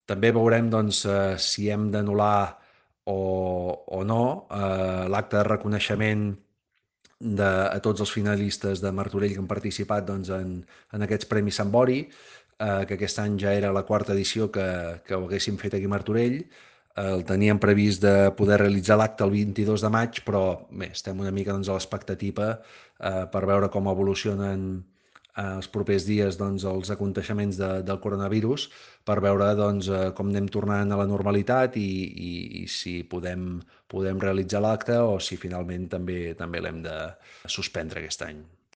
També veurem doncs, si hem d'anul·lar o no l'acte de reconeixement a tots els finalistes de Martorell que han participat doncs, en aquests Premis Sant Bori, que aquest any ja era la quarta edició que ho haguéssim fet aquí a Martorell. El teníem previst de poder realitzar l'acte el 22 de maig, però bé, estem una mica doncs, a l'expectativa per veure com evolucionen els propers dies doncs, els aconteixements del coronavirus, per veure doncs, com anem tornant a la normalitat i si podem realitzar l'acte o si finalment també l'hem de suspendre aquest any.